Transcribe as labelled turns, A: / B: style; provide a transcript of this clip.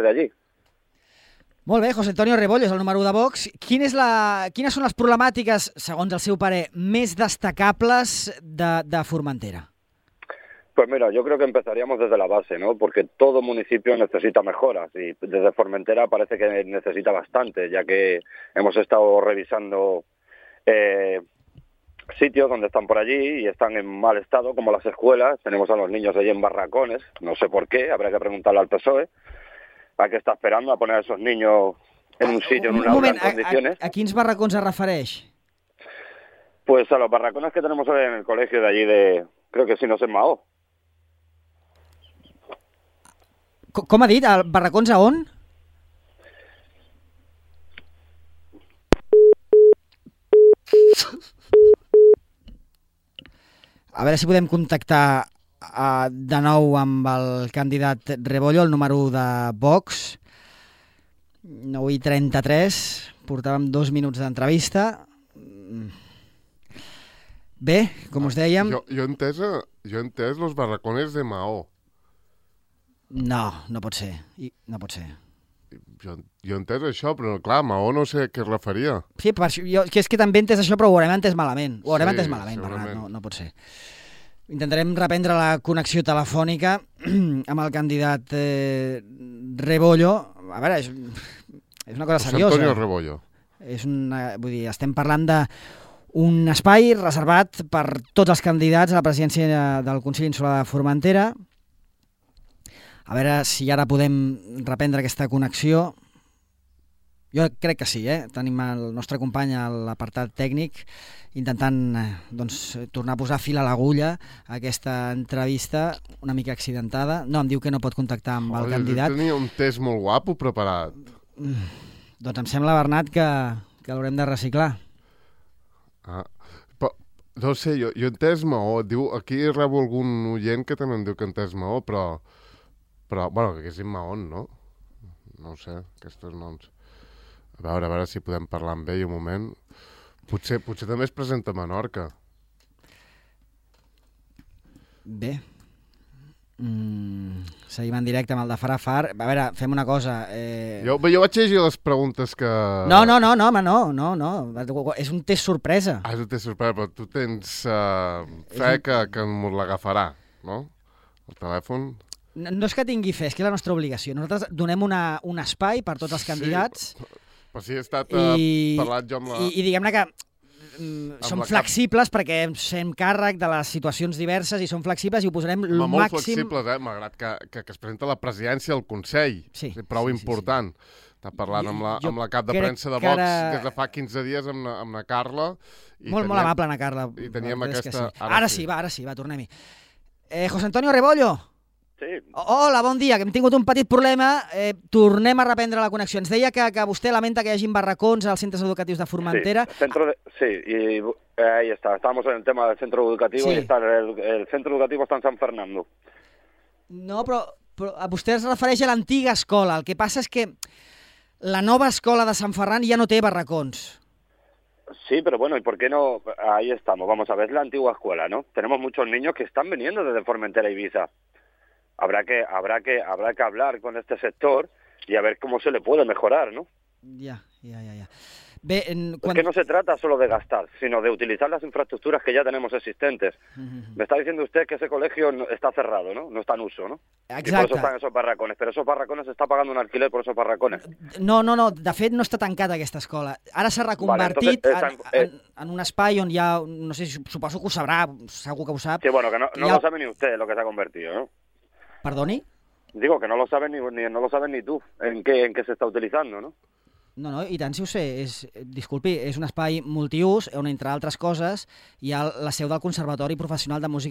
A: de allí.
B: Molt bé, José Antonio Rebollo és el número 1 de Vox. Quines són les problemàtiques, segons el seu parer, més destacables de Formentera?
A: Pues mira, yo creo que empezaríamos desde la base, ¿no? Porque todo municipio necesita mejoras y desde Formentera parece que necesita bastante, ya que hemos estado revisando sitios donde están por allí y están en mal estado, como las escuelas. Tenemos a los niños allí en barracones, no sé por qué, habrá que preguntarle al PSOE. ¿A qué está esperando a poner a esos niños en un sitio, en un aula, en condiciones?
B: A quins barracons es refereix?
A: Pues a los barracones que tenemos hoy en el colegio de allí de... Creo que si no es en Mahó.
B: Com ha dit? Barracons a on? A veure si podem contactar de nou amb el candidat Rebollo, el número 1 de Vox. 9:33, portàvem 2 minuts d'entrevista. Bé, com us dèiem...
C: Jo he entès los barracones de Mahó.
B: No pot ser. No pot ser.
C: Jo he entès això, però clar, Mahó no sé a què es referia.
B: Sí, és que també he entès això, però ho haurem entès malament. Ho haurem entès malament,
C: segurament.
B: Bernat, no pot ser. Intentarem reprendre la connexió telefònica amb el candidat Rebollo. A veure, és una cosa seriosa.
C: Antonio Rebollo.
B: Vull dir, estem parlant d'un espai reservat per tots els candidats a la presidència del Consell Insular de Formentera. A veure si ara podem reprendre aquesta connexió. Jo crec que sí, Tenim el nostre company a l'apartat tècnic intentant tornar a posar fil a l'agulla a aquesta entrevista una mica accidentada. No, em diu que no pot contactar amb el candidat.
C: Jo tenia un test molt guapo preparat.
B: Doncs em sembla, Bernat, que l'haurem de reciclar.
C: No sé, jo he entès Mahó. Aquí rebo algun oient que també em diu que he entès Mahó, però bueno, que és Mahón, no? No ho sé, aquests noms. A veure si podem parlar amb ell un moment. Potser també es presenta a Menorca.
B: Bé. Seguim en directe amb el de Farafar. A veure, fem una cosa.
C: Jo vaig llegir les preguntes que...
B: No, home, no. És un test sorpresa.
C: És un test sorpresa, però tu tens fe que m'ho l'agafarà, no? El telèfon...
B: No és que tingui fe, és que és la nostra obligació. Nosaltres donem un espai per tots els candidats.
C: Però sí, he estat parlat jo amb la...
B: I diguem-ne que som flexibles perquè ens fem càrrec de les situacions diverses i som flexibles i ho posarem el màxim...
C: Molt flexibles, malgrat que es presenta la presidència del Consell.
B: Sí.
C: És prou important. Està parlant amb la cap de premsa de Vox des de fa 15 dies amb la Carla.
B: Molt amable, Ana Carla.
C: I teníem aquesta...
B: Ara sí, tornem-hi. José Antonio Rebollo.
A: Sí.
B: Hola, bon dia, que hem tingut un petit problema. Tornem a reprendre la connexió. Ens deia que vostè lamenta que hi hagi barracons als centres educatius de Formentera.
A: Sí, y ahí está. Estábamos en el tema del centro educativo y está el centro educativo está en San Fernando.
B: No, però vostè es refereix a l'antiga escola. El que passa és que la nova escola de Sant Ferran ja no té barracons.
A: Sí, pero bueno, ¿y por qué no? Ahí estamos. Vamos a ver, la antigua escuela, ¿no? Tenemos muchos niños que están viniendo desde Formentera y Ibiza. Habrá que hablar con este sector y a ver cómo se le puede mejorar, ¿no?
B: Ya. Bé,
A: Es que no se trata solo de gastar, sino de utilizar las infraestructuras que ya tenemos existentes. Me está diciendo usted que ese colegio está cerrado, ¿no? No está en uso, ¿no?
B: Exacte.
A: Y por eso están esos barracones. Pero esos barracones se está pagando un alquiler por esos barracones.
B: No, de fet no està tancada aquesta escola. Ara s'ha reconvertit en un espai on hi ha, no sé, suposo que ho sabrà, segur que ho sap.
A: Sí, bueno, que no lo sabe ni usted lo que se ha convertido, ¿no?
B: Perdoni?
A: Digo que no lo sabes no lo sabes ni tú en qué se está utilizando, ¿no?
B: No, i tant si ho sé. Disculpi, és un espai multiús on, entre altres coses, hi ha la seu del Conservatori Professional de Música